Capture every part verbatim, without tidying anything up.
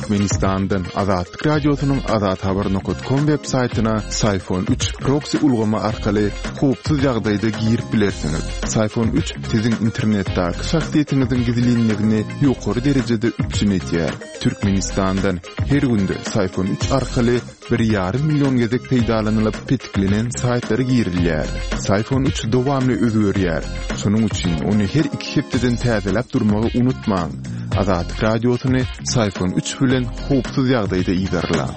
Türkmenistandan Azatlyk Radiosynyň azathabar nokat kom web saýtyna Syfon üç proksi ulgamy arkaly howpsuz ýagdaýda girip bilersiňiz. Syfon üç siziň internetdäki şahsyýetiňiziň gizlinligini ýokary derejede üpjün edýär. Türkmenistandan her günde Syfon üç arkaly bir ýarym million gezek peýdalanylyp petiklenen saýtlara girilýär. Syfon üç dowamly özgerýär. Şonuň üçin ony her iki hepdeden täzeläp durmagy unutmaň. Azatlyk Radiosyny Syfon üç bilen howpsuz ýagdaýda yzarlaň.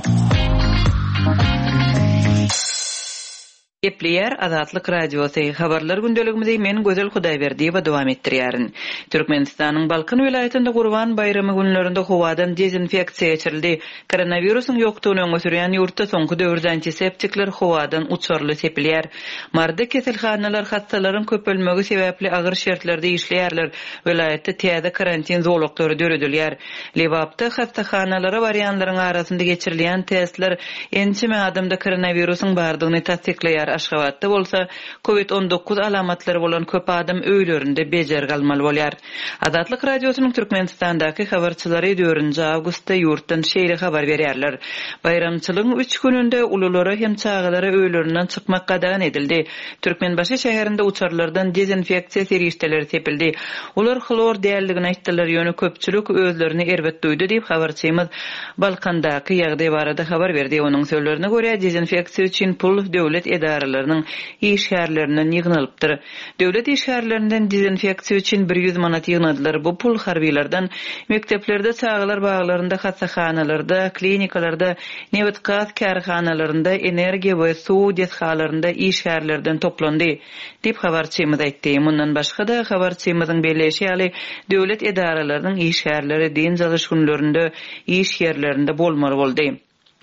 Gepleýär Azatlyk Radiosy. Habarlar gündeligimizi men Gözel Hudaýberdiýewa dowam etdirýärin. Türkmenistanyň Balkan welaýatynda Gurban baýramy günlerinde howadan dezinfeksiýa geçirildi. Koronawirusyň ýokdugyny öňe sürýän ýurtda soňky döwürde antiseptikler howadan uçarly sepilýär. Maryda keselhanalar hassalaryň köpelmegi sebäpli agyr şertlerde işleýärler. Welaýatda täze karantin zolaklary döredilýär. Lebapda hassahanalara barýanlaryň arasynda geçirilýän testler ençeme adamda koronawirusyň bardygyny tassyklaýar. Aşgabatda bolsa COVID on dokuz alamatlary bolan köp adam öýlerinde bejergi almaly bolýar. Azatlyk Radiosynyň Türkmenistandaky habarçylary dördünji awgustda ýurtdan şeýle habar berýärler. Baýramçylygyň üç gününde ululara hem çagalara öýlerinden çykmak gadagan edildi. Türkmenbaşy şäherinde uçarlardan dezinfeksiýa serişdeleri sepildi. Olar hlor däldigini aýtdylar, ýöne köpçülik özlerini erbet duýdy diýip habarçymyz Balkandaky ýagdaý barada habar berdi. Onuň sözlerine görä dezinfeksiýa üçin pul döwlet edaralarynyň işgärlerinden ýygnalypdyr. Döwlet işgärlerinden dezinfeksiýa üçin bir ýüz manat ýygnadylar. Bu pul harbilerden mekdeplerde, çagalar baglarynda, hassahanalarda, klinikalarda, nebit gaz kärhanalarynda, energiýa we suw desgalarynda işgärlerden toplandy diýip habarçymyz aýtdy. Mundan başga da habarçymyzyň belleýşi ýaly döwlet edaralarynyň işgärleri dynç alyş günlerinde iş ýerlerinde bolmaly boldy.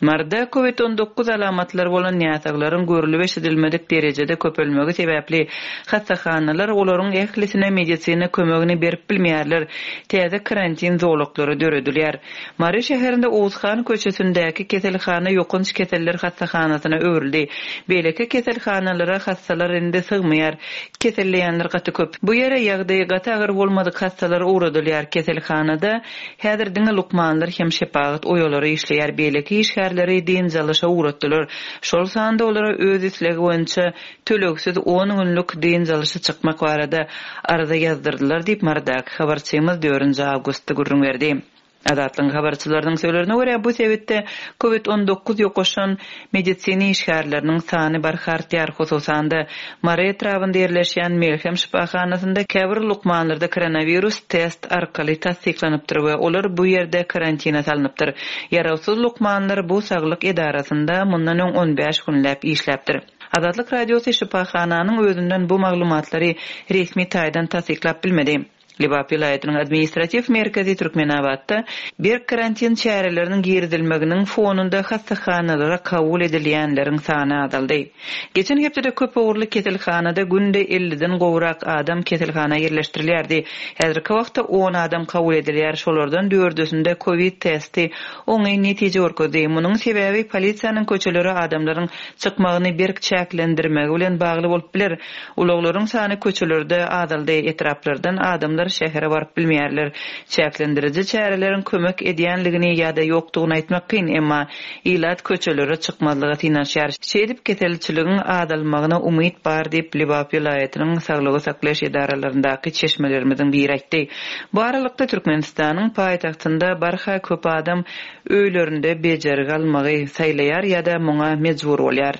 Maryda COVID on dokuz alamatlary bolan näsaglaryň görülip eşidilmedik derejede köpelmegi sebäpli hassahanalar olaryň ählisine medisina kömegini berip bilmeýärler. Täze karantin zolaklary döredilýär. Mary şäherinde Oğuzhan köçesindäki keselhana ýokanç keseller hassahanasyna öwrüldi. Beýleki keselhanalara hassalar indi sygmaýar. Keselleýänler gaty köp. Bu ýere ýagdaýy gaty agyr bolmadyk hassalar ugradylýar. Keselhanada häzir diňe lukmanlar hem şepagat oýalary işleýär. Beýleki işgärleri dynç alyşa ugratdylar. Şol sanda olara öz islegi boýunça tölegsiz on günlük dynç alyşa çykmak barada arza ýazdyrdylar diýip Marydaky habarçymyz dördünji awgustda gürrüň berdi. Azatlygyň habarçylarynyň sözlerine görä bu sebitde COVID on dokuz ýokaşan medisina işgärleriniň sany barha artýar. Hususan-da Mary etrabynda ýerleşýän Melhem şypahanasynda käbir lukmanlarda koronawirus test arkaly tassyklanypdyr we olar bu ýerde karantina salnypdyr. Ýarawsyz lukmanlar bu saglyk edarasynda mundan öň on bäş günläp işläpdir. Azatlyk Radiosy şypahananyň özünden bu maglumatlary resmi taýdan tassyklap bilmedi. Lebap welaýatynyň administratiw merkezi Türkmenabatda berk karantin çäreleriniň girizilmeginiň fonunda hassahanalara kabul edilýänleriň sany azaldy. Geçen hepdede köp ugurly keselhanada günde elliden gowrak adam keselhana ýerleşdirilýärdi. Häzirki wagtda on adam kabul edilýär. Şolardan dördüsinde COVID testi oňyn netije görkezdi. Munuň sebäbi polisiýanyň köçelere adamlaryň çykmagyny berk çäklendirmegi bilen bagly bolup biler. Ulaglaryň sany köçelerde azaldy. Etraplardan adamlar şähere baryp bilmeýärler. Çäklendiriji çäreleriň kömek edýänligini ýa-da ýokdugyny aýtmak kyn, emma ilat köçelere çykmazlyga synanyşýar. Şeýdip keselçiligiň azalmagyna umyt bar diýip Lebap welaýatynyň saglygy saklaýyş edaralaryndaky çeşmelerimiziň biri aýtdy. Bu aralykda Türkmenistanyň paýtagtynda barha köp adam öýlerinde bejergi almagy saýlaýar ýa-da muňa mejbur bolýar.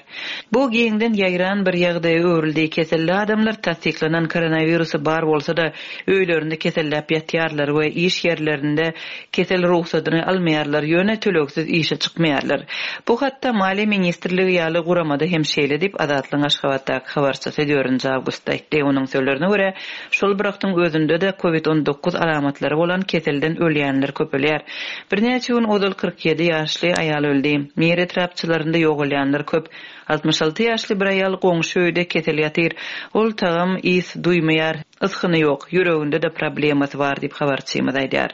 Bu giňden ýaýran bir ýagdaýa öwrüldi. Keselli adamlar tassyklanan koronawirusy bar bolsa-da öýlerinde keselläp ýatýarlar we iş ýerlerinde kesel ruhsadyny almaýarlar, ýöne tölegsiz işe çykmaýarlar. Bu hatda Maliýe ministrligi ýaly guramada hem şeýle diýip Azatlygyň Aşgabatdaky habarçysy dördünji awgustda aýtdy. Onuň sözlerine görä, şol bir wagtyň özünde-de COVID on dokuz alamatlary bolan keselden ölýänler köpelýär. Birnäçe gün ozal kyrk ýedi ýaşly aýal öldi. Mir etrapçylarynda ýogalýanlar köp. Altmyş alty ýaşly bir aýal goňşy öýde kesel ýatyr. Ol tagam is duýmaýar. Ysgyny ýok, ýüreginde-de problemasy bar diýip habarçymyz aýdýar.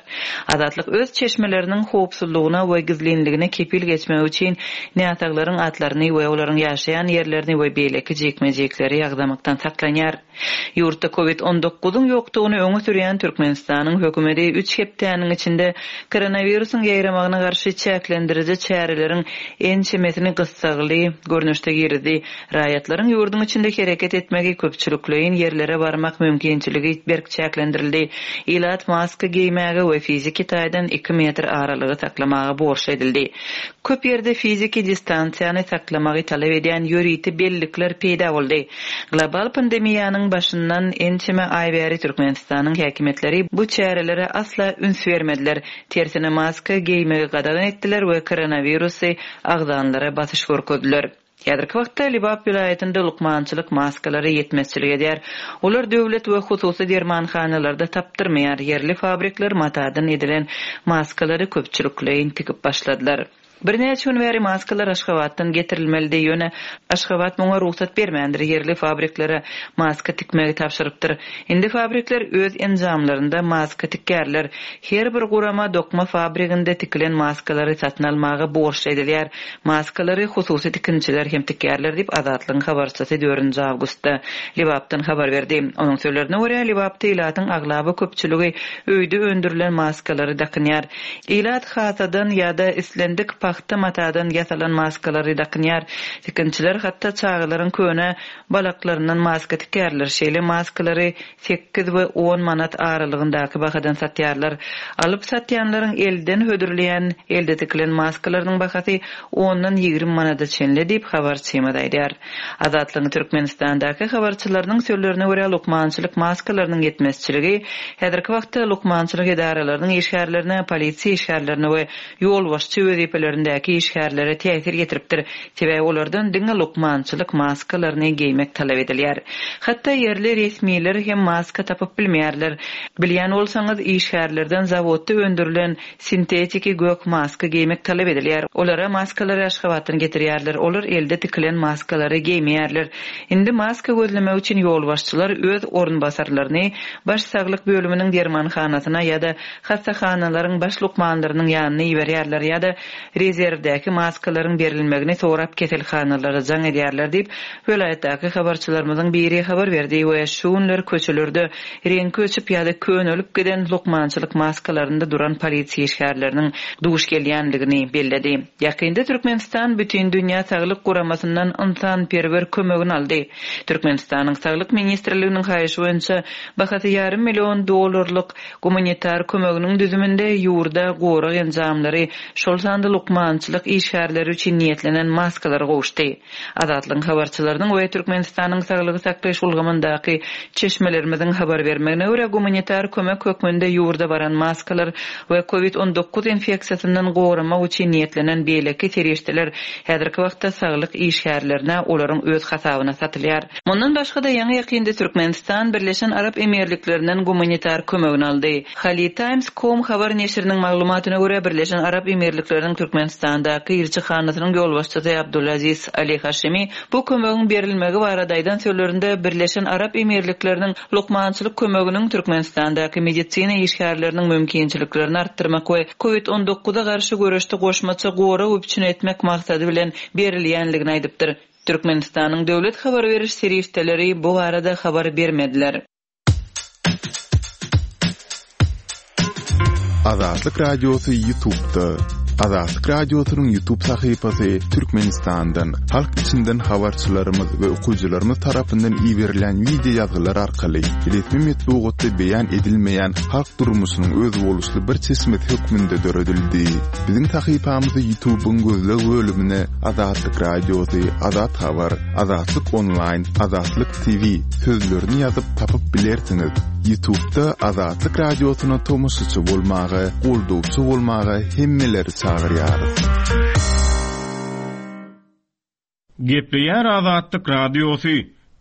Azatlyk öz çeşmeleriniň howpsuzlygyna we gizlinligine kepil geçmek üçin näsaglaryň atlaryny we olaryň ýaşaýan ýerlerini we beýleki jikme-jikleri agzamakdan saklanýar. Ýurtda Covid on dokuzyň ýokdugyny öňe sürýän Türkmenistanyň hökümeti üç hepdäniň içinde koronawirusyň ýaýramagyna garşy çäklendiriji çäreleriň ençemesini gyssagly görnüşde girizdi. Raýatlaryň ýurduň içinde hereket etmegi, köpçülikleýin ýerlere barmak mümkinçiligi berk çäklendirildi. Ilat maska geýmäge we fiziki taýdan iki metr aralygy saklamaga borçly edildi. Köp ýerde fiziki distansiýany saklamagy talap edýän ýörite bellikler peýda boldy. Global pandemiýanyň başyndan ençeme aý bäri Türkmenistanyň häkimiýetleri bu çärelere asla üns bermediler. Tersine maska geýmegi gadagan etdiler we koronawirusy agzanlara basyş görkezdiler. Häzirki wagtda Lebap welaýatynda lukmançylyk maskalary ýetmezçilik edýär. Olar döwlet we hususy dermanhanalarda tapdyrmaýar. Ýerli fabrikler matadan edilen maskalary köpçülikleýin tikip başladylar. Birnäçe gün bäri maskalar Aşgabatdan getirilmelidi, ýöne Aşgabat muňa rugsat bermändir, ýerli fabriklere maska tikmegi tabşyrypdyr. Indi fabrikler öz enjamlarynda maska tikýärler. Her bir gurama dokma fabriginde tikilen maskalary satyn almaga borçly edilýär. Maskalary hususy tikinçiler hem tikýärler diýip Azatlygyň habarçysy dördünji awgustda Lebapdan habar berdi. Onuň sözlerine görä Lebapda ilatyň aglaba köpçüligi öýde öndürilen maskalary dakynýar. Ilat hasadan ýa-da islendik pagta matadan ýasalan maskalary dakynýar. Tikinçiler hatda çagalaryň köne balaklaryndan maska tikýärler. Şeýle maskalary sekiz we on manat aralygyndaky bahadan satýarlar. Alyp satýanlaryň elden hödürleýän elde tikilen maskalarynyň bahasy ondan ýigrimi manada çenli diýip habarçymyz aýdýar. Azatlygyň Türkmenistandaky habarçylarynyň sözlerine görä lukmançylyk maskalarynyň ýetmezçiligi häzirki wagtda lukmançylyk edaralarynyň işgärlerine, polisiýa işgärlerine we ýolbaşçy wezipelerindäki işgärlere täsir ýetiripdir. Sebäbi olardan diňe lukmançylyk maskalaryny geýmek talap edilýär. Hatda ýerli resmiler hem maska tapyp bilmeýärler. Bilýän bolsaňyz, işgärlerden zawodda öndürilen sintetiki gök maska geýmek talap edilýär. Olara maskalary Aşgabatdan getirýärler. Olar elde tikilen maskalary geýmeýärler. Indi maska gözlemek üçin ýolbaşçylar öz orunbasarlaryny baş saglyk bölüminiň dermanhanasyna ýa-da hassahanalaryň baş lukmanlarynyň ýanyna iberýärler ýa-da rezerwdäki maskalaryň berilmegini sorap keselhanalara jaň edýärler diýip welaýatdaky habarçylarymyzyň biri habar berdi we şu günler köçelerde reňki öçüp ýa-da könelip giden lukmançylyk maskalarynda duran polisiýa işgärleriniň duş gelýänligini belledi. Ýakynda Türkmenistan Bütün Dünýä Saglyk Guramasyndan ynsanperwer kömegini aldy. Türkmenistanyň Saglyk Ministrliginiň haýyşy boýunça bahasy ýarym million dollarlyk gumanitar kömeginiň düzüminde ýurda gorag enjamlary, şol sanda lukmançylyk işgärleri üçin niýetlenen maskalar gowuşdy. Azatlygyň habarçylarynyň we Türkmenistanyň saglygy saklaýyş ulgamyndaky çeşmelerimiziň habar bermegine görä gumanitar kömek hökmünde ýurda baran maskalar we Covid on dokuz infeksiýasyndan goramak üçin niýetlenen beýleki serişdeler häzirki wagtda saglyk işgärlerine olaryň öz hasabyna satylýar. Mundan başga-da ýaňy ýakynda Türkmenistan Birleşen Arap Emirliklerinden gumanitar kömegini aldy. Khaleej Times com habar neşiriniň maglumatyna görä Birleşen Arap Emirlikleriniň Türkmenistandaky ilçihanasynyň ýolbaşçysy Abdulaziz Ali Haşimi bu kömegiň berilmegi barada aýdan sözlerinde Birleşen Arap Emirlikleriniň lukmançylyk kömeginiň Türkmenistandaky medisina işgärleriniň mümkinçiliklerini artdyrmak we Covid on dokuza garşy göreşde goşmaça gorag üpjün etmek maksady bilen berilýänligini aýdypdyr. Türkmenistanyň döwlet habar beriş serişdeleri bu barada habar bermediler. Azatlyk Radiosy YouTube'da. Azatlyk Radiosynyň YouTube sahypasy Türkmenistandan, halk içinden habarçylarymyz we okyjylarymyz tarapyndan iberilen video ýazgylar arkaly resmi metbugatda beýan edilmeýän halk durmuşynyň özboluşly bir çeşmesi hökmünde döredildi. Biziň sahypamyzy YouTube'yň gözleg bölümine Azatlyk Radiosy, Azat Habar, Azatlyk Online, Azatlyk T V sözlerini ýazyp tapyp bilersiňiz. YouTube'da Azatlyk Radiosyna tomaşaçy bolmaga, goldawçy bolmaga hemmeleri çagyrýarys. Gepleýär Azatlyk Radiosy.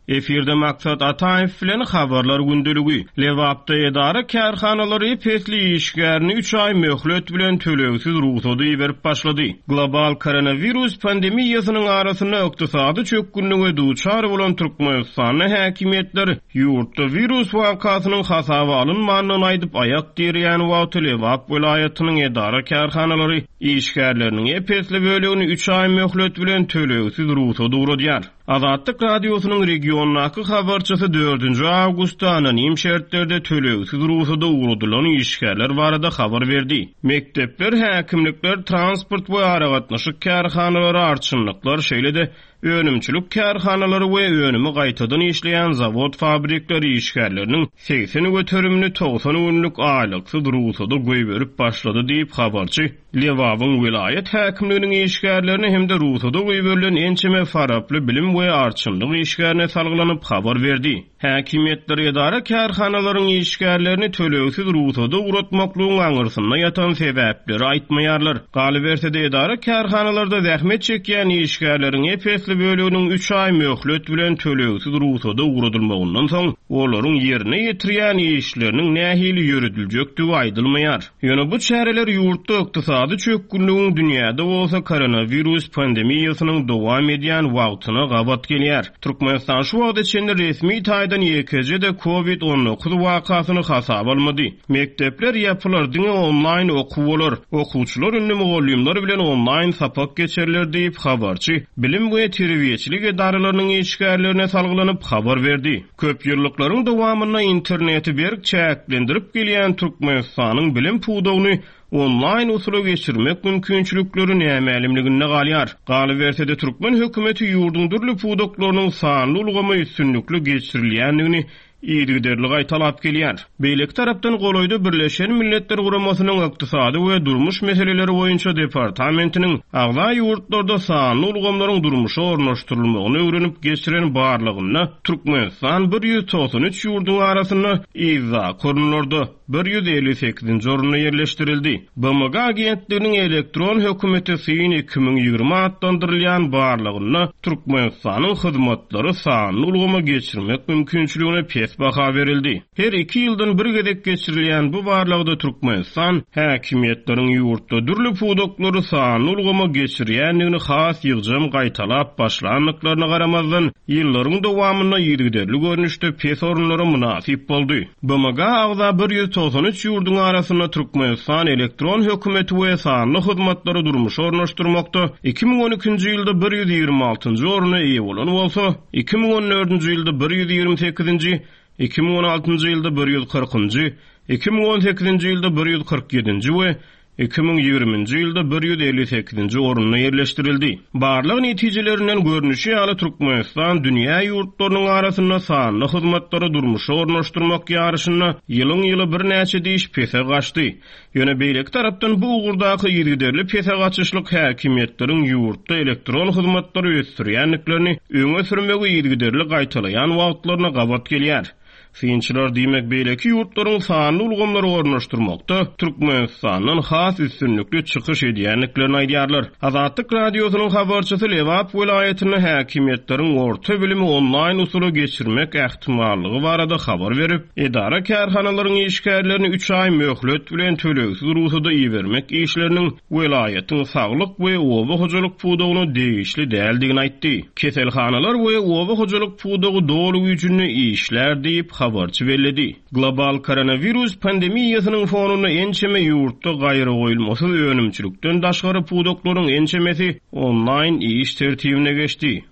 Efirde Maksat Ataýew bilen Habarlar gündeligi. Lebapda edara kärhanalary ep-esli işgärini üç aý möhlet bilen tölegsiz rugsady berip başlady. Global koronawirus pandemiýasynyň arasynda ykdysady çökgünlige duçar bolan Türkmenistanda häkimiýetler ýurtda wirus wakasynyň hasaba alynmandygyny aýdyp aýak direýän wagty Lebap welaýatynyň edara kärhanalary işgärleriniň ep-esli bölegini üç aý möhlet bilen tölegsiz rugsat ugradýar. Azatlyk Radiosynyň regiondaky habarçysy dördünji awgustda anonim şertlerde tölegsiz rugsada ugradylan işgärler barada habar berdi. Mekdepler, häkimlikler, transport we aragatnaşyk kärhanalary, arçynlyklar, şeýle-de önümçilik kärhanalary we önümi gaýtadan işleýän zawod fabrikleri işgärleriniň segsen göterimini togsan günlük aýlyksyz rugsada goýberip başlady diýip habarçy Lebabyň welaýat häkimliginiň işgärlerine hem-de rugsada goýberilen ençeme faraply bilim we arçynlyk işgärine salgylanyp habar berdi. Häkimiýetler edara kärhanalaryň işgärlerini tölegsiz rugsada ugratmaklygyň aňyrsynda ýatan sebäpleri aýtmaýarlar. Galyberse-de edara kärhanalarda zähmet çekýän işgärleriň ep-esli böleginiň üç aý möhlet bilen tölegsiz rugsada ugradylmagyndan soň olaryň ýerine ýetirýän işleriniň nähili ýörediljekdigi aýdylmaýar. Ýöne bu çäreler ýurtda ykdysady çökgünligiň dünýäde bolsa koronawirus pandemiýasynyň dowam edýän wagtyna gabat gelýär. Türkmenistan şu wagta çenli resmi taýdan ýekeje-de COVID on dokuz wakasyny hasaba almady. Mekdepler ýapylar, diňe onlaýn okuw bolar. Okuwçylar indi mugallymlar bilen onlaýn sapak geçerler diýip habarçy bilim we terbiýeçilik edaralarynyň işgärlerine salgylanyp habar berdi. Köp ýyllyklaryň dowamynda interneti berk çäklendirip gelýän Türkmenistanyň bilim pudagyny onlaýn usula geçirmek mümkinçilikleri nämälimliginde galýar. Galyberse-de türkmen hökümeti ýurduň dürli pudaklarynyň sanly ulgama üstünlikli geçirilýändigini yzygiderli gaýtalap gelýär. Beýleki tarapdan golaýda Birleşen Milletler Guramasynyň ykdysady we durmuş meseleleri boýunça departamentiniň agza ýurtlarda sanly ulgamlaryň durmuşa ornaşdyrylmagyny öwrenip geçiren barlygynda Türkmenistan bir ýüz togsan üç ýurduň arasynda yzdaky orunlarda bir ýüz elli sekizinji orunda ýerleşdirildi. B M G agentliginiň elektron hökümeti syn iki müň ýigrimi atlandyrylýan barlygynda Türkmenistanyň hyzmatlary sanly ulgama geçirmek mümkinçiligine pes baha berildi. Her iki ýyldan bir gezek geçirilýän bu barlagda Türkmenistan häkimiýetleriň ýurtda dürli pudaklary sanly ulgama geçirýändigini has ýygjam gaýtalap başlandyklaryna garamazdan ýyllaryň dowamynda yzygiderli görnüşde pes orunlara mynasyp boldy. B M G agza bir ýüz togsan üç ýurduň arasynda Türkmenistan elektron hökümeti we sanly hyzmatlary durmuşa ornaşdyrmakda iki müň on ikinji ýylda bir ýüz ýigrimi altynjy oruna eýe bolan bolsa, iki müň on dördünji ýylda bir ýüz ýigrimi sekizinji, iki müň on altynjy ýylda bir ýüz kyrkynjy, iki müň on sekizinji ýylda bir ýüz kyrk ýedinji we iki müň ýigriminji ýylda bir ýüz elli sekizinji orunda ýerleşdirildi. Barlag netijelerinden görnüşi ýaly Türkmenistan dünýä ýurtlarynyň arasynda sanly hyzmatlary durmuşa ornaşdyrmak ýaryşynda ýylyň ýyly birnäçe diş pese gaçdy. Ýöne beýleki tarapdan bu ugurdaky yzygiderli pese gaçyşlyk häkimiýetleriň ýurtda elektron hyzmatlary ösdürýändiklerini öňe sürmegi yzygiderli gaýtalaýan wagtlaryna gabat gelýär. Synçylar diýmek beýleki ýurtlaryň sanly ulgamlary ornaşdyrmakda Türkmenistandan has üstünlikli çykyş edýändiklerini aýdýarlar. Azatlyk Radiosynyň habarçysy Lebap welaýatynda häkimiýetleriň orta bilimi onlaýn usula geçirmek ähtimallygy barada habar berip, edara kärhanalaryň işgärlerini üç aý möhlet bilen tölegsiz rugsada ibermek işleriniň welaýatyň saglyk we oba hojalyk pudagyna degişli däldigini aýtdy. Keselhanalar we oba hojalyk pudagy doly güýjünde işlär diýip habarçy belledi. Global koronawirus pandemiýasynyň fonunda ençeme ýurtda gaýra goýulmasyz önümçilikden daşgary pudaklaryň ençemesi onlaýn iş tertibine geçdi.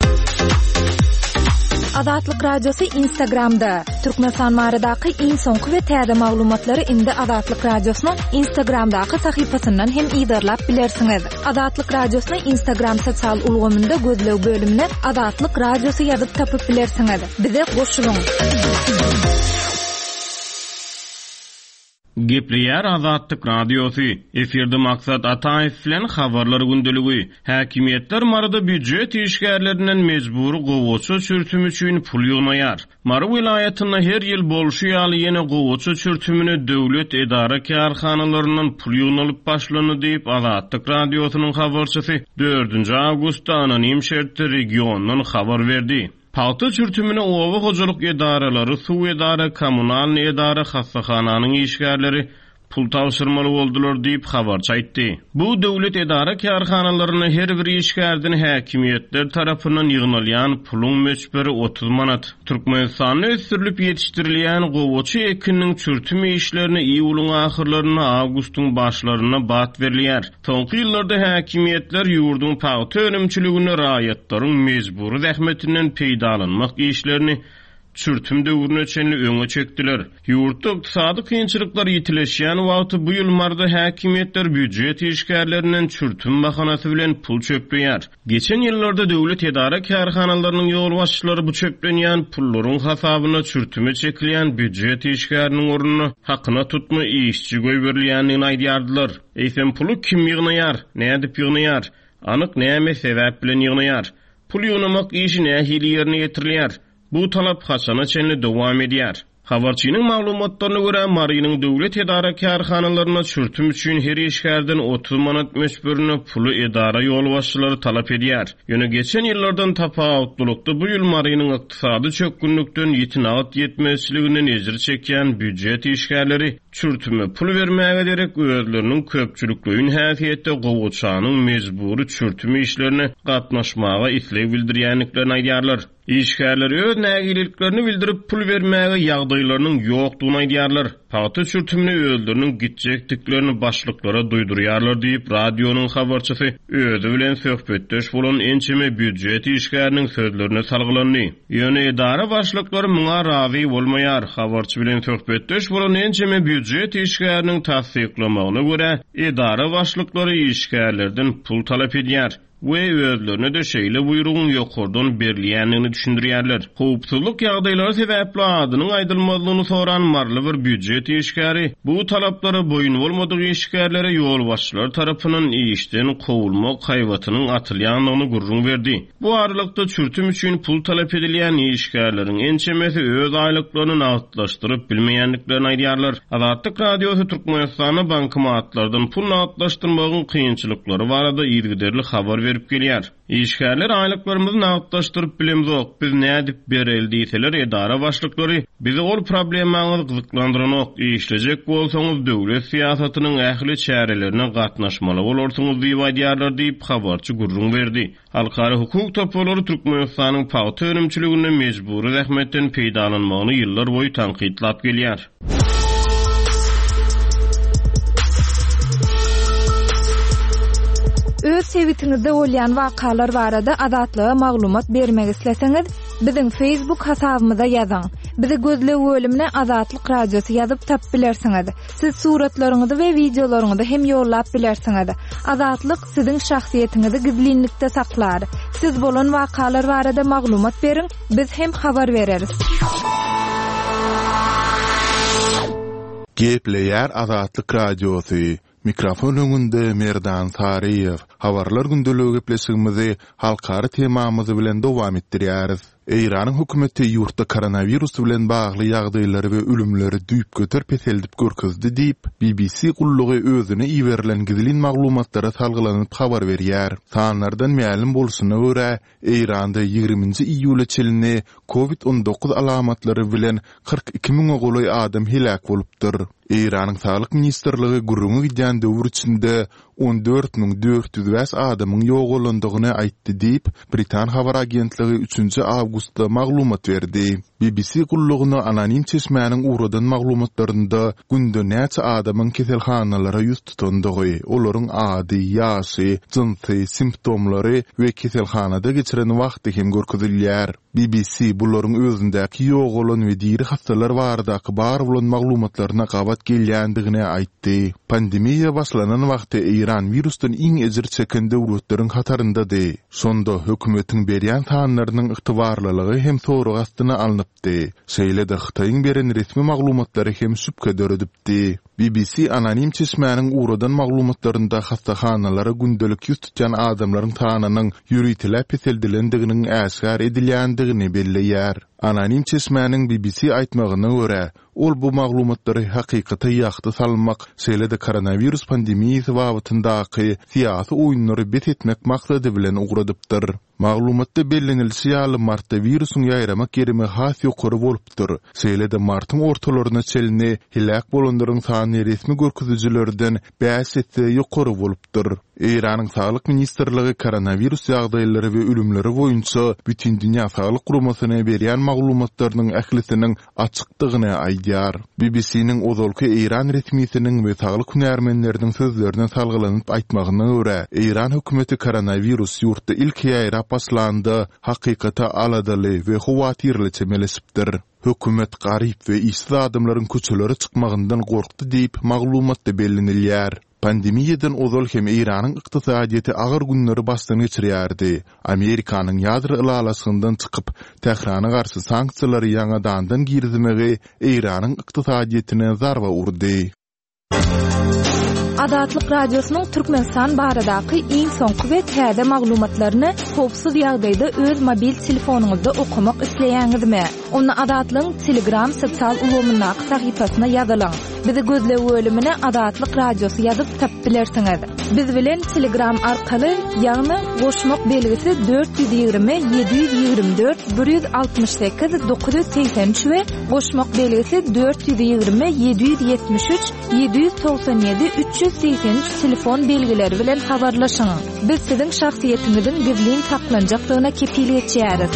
Azatlyk Radiosy Instagramda. Türkmenistan baradaky iň soňky we täze maglumatlary indi Azatlyk Radiosynyň Instagramdaky sahypasyndan hem yzarlap bilersiňiz. Azatlyk Radiosyny Instagram sosial ulgamynda gözleg bölümine Azatlyk Radiosy ýazyp tapyp bilersiňiz. Bize goşulyň. Gepleýär Azatlyk Radiosy. Efirde Maksat Ataýew bilen habarlar gündeligi. Häkimiýetler Maryda býujet işgärlerinden mejbury gowaça çürtüm üçin pul ýygnaýar. Mary welaýatynda her ýyl bolşy ýaly ýene gowaça çürtümine döwlet edara kärhanalaryndan pul ýygnalyp başlandy diýip Azatlyk Radiosynyň habarçysy dördünji awgustda anonim şertde regiondan habar berdi. Pagta çürtümine oba hojalyk edaralary, suw edara, kommunal edara, hassahananyň işgärleri pul tabşyrmaly boldular diýip habarçy aýtdy. Bu döwlet edara kärhanalarynda her bir işgärden häkimiýetler tarapyndan ýygnalýan puluň möçberi otuz manat. Türkmenistanda ösdürilip ýetişdirilýän gowaça ekininiň çürtüm işlerine iýulyň ahyrlarynda, awgustyň başlarynda bat berilýär. Soňky ýyllarda häkimiýetler ýurduň pagta önümçiliginde raýatlaryň mejbury zähmetinden peýdalanmak işlerini çürtüm döwrüne çenli öňe çekdiler. Ýurtda ykdysady kynçylyklar ýitileşýän wagty bu ýyl Maryda häkimiýetler býujet işgärlerinden çürtüm bahanasy bilen pul çöpleýär. Geçen ýyllarda döwlet edara kärhanalarynyň ýolbaşçylary bu çöplenýän pullaryň hasabyna çürtüme çekilýän býujet işgäriniň ornuna hakyna tutma işçi goýberilýändigini aýdýardylar. Eýsem puly kim ýygnaýar, nädip ýygnaýar, anyk näme sebäp bilen ýygnaýar? Pul ýygnamak işi nähili ýerine ýetirilýär? Bu talap haçana çenli dowam edýär. Habarçynyň maglumatlaryna görä Marynyň döwlet edara kärhanalarynda çürtüm üçin her işgärden otuz manat möçberinde puly edara ýolbaşçylary talap edýär. Ýöne geçen ýyllardan tapawutlylykda bu ýyl Marynyň ykdysady çökgünlikden ýiti nagt ýetmezçiliginden ejir çekýän býujet işgärleri çürtüme pul bermäge derek özleriniň köpçülikleýin häsiýetde gowaçanyň mejbury çürtüm işlerine gatnaşmaga isleg bildirýändiklerini aýdýarlar. Işgärler öz nägileliklerini bildirip pul bermäge ýagdaýlarynyň ýokdugyny aýdýarlar. Pagta çürtümine özleriniň gitjekdiklerini başlyklara duýdurýarlar diýip radionyň habarçysy özi bilen söhbetdeş bolan ençeme býujet işgäriniň sözlerine salgylandy. Ýöne edara başlyklary muňa razy bolmaýar. Habarçy bilen söhbetdeş bolan ençeme býujet işgäriniň tassyklamagyna görä edara başlyklary işgärlerden pul talap edýär we özlerine de şeýle buýrugyň ýokardan berilýändigini düşündirýärler. Howpsuzlyk ýagdaýlary sebäpli adynyň aýdylmazlygyny soran Maryly bir býujet işgäri bu talaplara boýun bolmadyk işgärlere ýolbaşçylar tarapyndan işden kowulmak haýbatynyň atylýandygyny gürrüň berdi. Bu aralykda çürtüm üçin pul talap edilýän işgärleriň ençemesi öz aýlyklaryny nagtlaşdyryp bilmeýändiklerini aýdýarlar. Azatlyk Radiosy Türkmenistanda bankomatlardan pul nagtlaşdyrmagyň kynçylyklary barada yzygiderli habar berip gelýär. Işgärler aýlyklarymyzy nagtlaşdyryp bilemzok, biz nädip bereli diýseler edara başlyklary bizi ol problemaňyz gyzyklandyranok, işlejek bolsaňyz döwlet syýasatynyň ähli çärelerine gatnaşmaly bolarsyňyz diýip aýdýarlar diýip habarçy gürrüň berdi. Halkara hukuk toparlary Türkmenistanyň pagta önümçiliginde mejbury zähmetden peýdalanmagyny ýyllar boýy tankytlap gelýär. Öz sebitiňizde bolýan wakalar barada Azatlyga maglumat bermek isleseňiz, biziň Facebook hasabymyza ýazyň. Bizi gözleg bölümine Azatlyk Radiosy ýazyp tap bilersiňiz. Siz suratlaryňyzy we wideolaryňyzy hem ýollap bilersiňiz. Azatlyk siziň şahsyýetiňizi gizlinlikde saklar. Siz bolan wakalar barada maglumat beriň, biz hem habar bereris. Gepleýär Azatlyk Radiosy. Mikrofon öňünde Merdan Saryýew. Habarlar gündeligi gepleşigimizi halkara temamyzy bilen dowam etdirýäris. Eýranyň hökümeti ýurtda koronawirus bilen bagly ýagdaýlary we ölümleri düýpgöter peseldip görkezdi diýip, B B C gullugy özüne iberilen gizlin maglumatlara salgylanyp habar berýär. Sanlardan mälim bolşuna görä, Eýranda ýigriminji iýula çenli COVID on dokuz alamatlary bilen kyrk iki müňe golaý adam heläk bolupdyr. Eýranyň Saglyk ministrligi gürrüňi gidýän döwür içinde on dört müň dört ýüz bäş adamyň ýogalandygyny aýtdy diýip, Britan habar agentligi üçünji awgustda maglumat berdi. B B C gullugyna anonim çeşmäniň ugradan maglumatlarynda günde näçe adamyň keselhanalara ýüz tutandygy, olaryň ady, ýaşy, jynsy, simptomlary we keselhanada geçiren wagty hem görkezilýär. B B C bularyň özündäki ýogalan we diri hastalar baradaky bar bolan maglumatlaryna gabat gelýändigini aýtdy. Pandemiýa başlanan wagty Eýran wirusdan iň ejir çeken döwletleriň hataryndady. Şonda hökümetiň berýän sanlarynyň ygtybarlylygy hem sorag astyna alnypdy. Şeýle-de Hytaýyň beren resmi maglumatlary hem şübhe döredipdi. B B B C anonim çeşmäniň ugradan maglumatlarynda hassahanalara gündelik ýüz tutýan adamlaryň sanynyň ýöriteläp peseldilendiginiň äşgär edilýändigini belleýär. Anonim çeşmäniň B B C aýtmagyna görä, ol bu maglumatlary hakykata ýagty salmak, şeýle-de koronawirus pandemiýasy babatyndaky syýasy oýunlary bes etmek maksady bilen ugradypdyr. Maglumatda bellenilişi ýaly, martda wirusyň ýaýramak gerimi has ýokary bolupdyr. Şeýle-de martyň ortalaryna çenli heläk bolanlaryň sany resmi görkezijilerden bäş esse ýokary bolupdyr. Eýranyň Saglyk ministrligi koronawirus ýagdaýlary we ölümleri boýunça Bütindünýä Saglyk Guramasyna berýän maglumatlarynyň ählisiniň açykdygyny aýdýar. B B C-niň ozalky Eýran resmisiniň we saglyk hünärmenleriniň sözlerine salgylanyp aýtmagyna görä, Eýran hökümeti koronawirus ýurtda ilk ýaýrap başlanda hakykata aladaly we howatyrly çemeleşipdir. Hökümet garyp we işsiz adamlaryň köçelere çykmagyndan gorkdy diýip maglumatda bellenilýär. Pandemiýadan ozal hem Eýranyň ykdysadyýeti agyr günleri başdan geçirýärdi. Amerikanyň ýadro ylalaşygyndan çykyp, Tährana garşy sanksiýalary ýaňadandan girizmegi Eýranyň ykdysadyýetine zarba urdy. Azatlyk Radiosynyň Türkmenistan baradaky iň soňky we täze maglumatlaryny howpsuz ýagdaýda öz mobil telefonyňyzda okamak isleýäňizmi? Onda Azatlygyň Telegram sosial ulgamyndaky sahypasyna ýazylyň. Bizi gözleg bölümine Azatlyk Radiosy ýazyp tapyp bilersiňiz. Biz bilen Telegram arkaly, ýagny goşmak belgisi dört ýüz ýigrimi ýedi ýüz ýigrimi dört bir ýüz altmyş sekiz dokuz ýüz segsen üç we goşmak belgisi dört ýüz ýigrimi ýedi ýüz ýetmiş üç ýedi ýüz togsan ýedi üç ýüz segsen üç telefon belgileri bilen habarlaşyň. Biz siziň şahsyýetiňiziň gizlin saklanjakdygyna kepil geçýäris.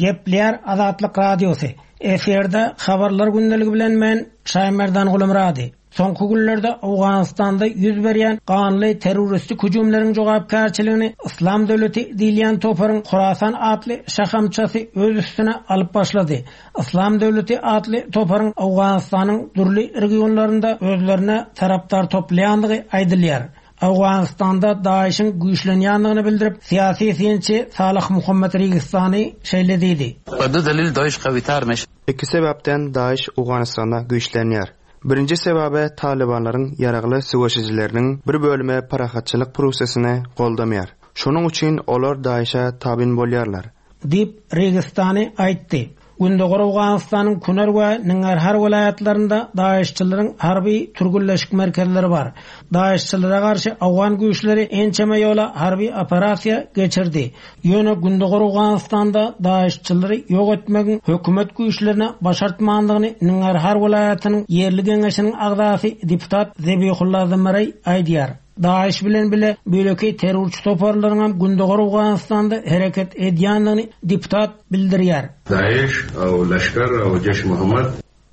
Gepleýär Azatlyk Radiosy. Efirde habarlar gündeligi bilen men Şaýmerdan Gulumrady. Soňky günlerde Owganystanda ýüz berýän ganly terroristik hüjümleriň jogapkärçiligini Islam döwleti diýilýän toparyň Horasan atly şahamçasy öz üstüne alyp başlady. Islam döwleti atly toparyň Owganystanyň dürli regionlarynda özlerine tarapdar toplaýandygy aýdylýar. Owganystanda DAEŞ-iň güýçlenýändigini bildirip, syýasy synçy Salah Muhammed Rigistani şeýle diýdi. Iki sebäpden DAEŞ Owganystanda güýçlenýär. Birinji sebäbi Talibanlaryň ýaragly söweşijileriniň bir bölümi parahatçylyk prosesini goldamaýar. Şonuň üçin olar DAEŞ-e tabyn bolýarlar. Diýip Rigistani aýtdy. Gündogar Owganystanyň Kunar we Ningarhar welaýatlarynda DAEŞ-çileriň harby türgünleşik merkezleri bar. DAEŞ-çilere garşy Owgan güýçleri ençeme ýola harby operasiýa geçirdi. Ýöne Gündogar Owganystanda DAEŞ-çileri ýok etmegiň hökümet güýçlerine başartmandygyny Ningarhar welaýatynyň ýerli geňeşiniň agzasy deputat Zebihullah Zamaray aýdýar. DAEŞ bilen bile beýleki terrorçy toparlaryň Gündogar Owganystanda hereket edýändigini deputat bildirýär. داعش او لشکر او جيش محمد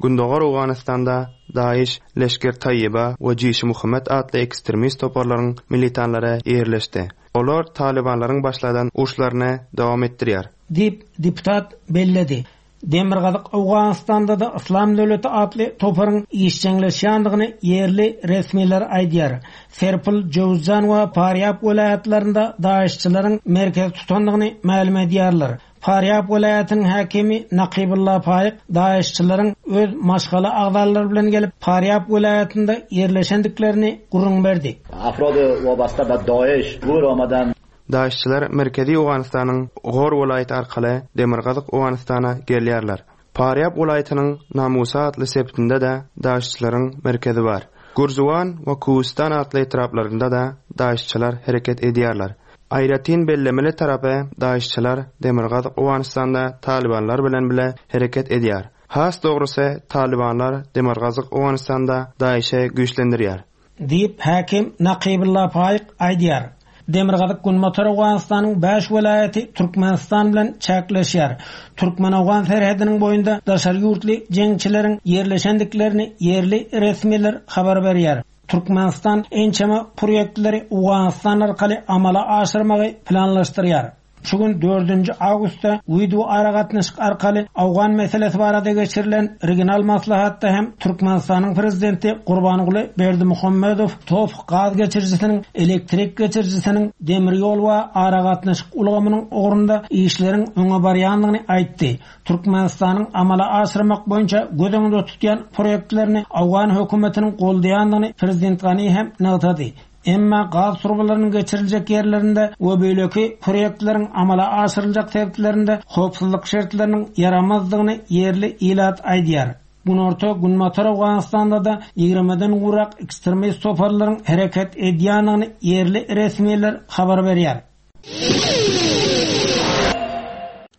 Gündogar Owganystanda DAEŞ, Leşker Taýýiba we Jeýş Muhammed atly ekstremist toparlaryň militanlary ýerleşdi. Olar Talibanlaryň başladan uruşlaryny dowam etdirýär. Diýip deputat belledi. Demirgazyk Owganystanda da Islam döwleti atly toparyň işjeňleşýändigini ýerli resmiler aýdýar. Serpil, Jowzjan we Farýab welaýatlarynda DAEŞ-çileriň merkez tutandygyny mälim edýärler. Farýab welaýatynyň häkimi Nakibulla Faýyk DAEŞ-çileriň öz maşgala agzalary bilen gelip Farýab welaýatynda ýerleşendiklerini gürrüň berdi. افراد وابسته به داعش گور آمدن. DAEŞ-çiler Merkezi Owganystanyň Gor welaýaty arkaly Demirgazyk Owganystana gelýärler. Farýab welaýatynyň Namusa atly sebitinde de DAEŞ-çileriň merkezi bar. Gurzuwan we Kuwistan atly etraplarynda da DAEŞ-çiler hereket edýärler. Aýratyn bellemeli tarapy DAEŞ-çiler Demirgazyk Owganystanda Talibanlar bilen bile hereket edýär. Has dogrusy Talibanlar Demirgazyk Owganystanda DAEŞ-i güýçlendirýär. Diýip häkim Nakibulla Faýyk aýdýar. Demirgazyk Günbatar Owganystanyň bäş welaýaty Türkmenistan bilen çäkleşýär. Türkmen-Owgan serhediniň boýunda daşary ýurtly jeňçileriň ýerleşendiklerini ýerli resmiler habar berýär. Türkmenistan ençeme proýektleri Owganystan arkaly amala aşyrmagy planlaşdyrýar. Şu gün dördünji awgustda wideo aragatnaşyk arkaly Awgan meselesi barada geçirilen regional maslahatda hem Türkmenistanyň prezidenti Gurbanguly Berdimuhamedow TOPH gaz geçirijisiniň, elektrik geçirijisiniň, demir ýol we aragatnaşyk ulgamynyň ugrunda işleriň öňe barýandygyny aýtdy. Türkmenistanyň amala aşyrmak boýunça göz öňünde tutýan proýektlerini Awgan hökümetiniň goldaýandygyny prezident Gani hem nygtady. Emma gaz turbalarynyň geçiriljek ýerlerinde we beýleki proýektleriň amala aşyryljak sebitlerinde howpsuzlyk şertleriniň ýaramazdygyny ýerli ilat aýdýar. Günorta Günbatar Owganystanda da ýigrimiden gowrak ekstremist toparlaryň hereket edýändigini ýerli resmiler habar berýär.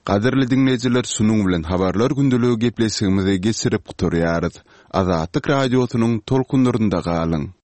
Gadyrly diňleýjiler, şunuň bilen habarlar gündeligi gepleşigimizi geçirip gutarýarys. Azatlyk radiosynyň tolkunlarynda galyň.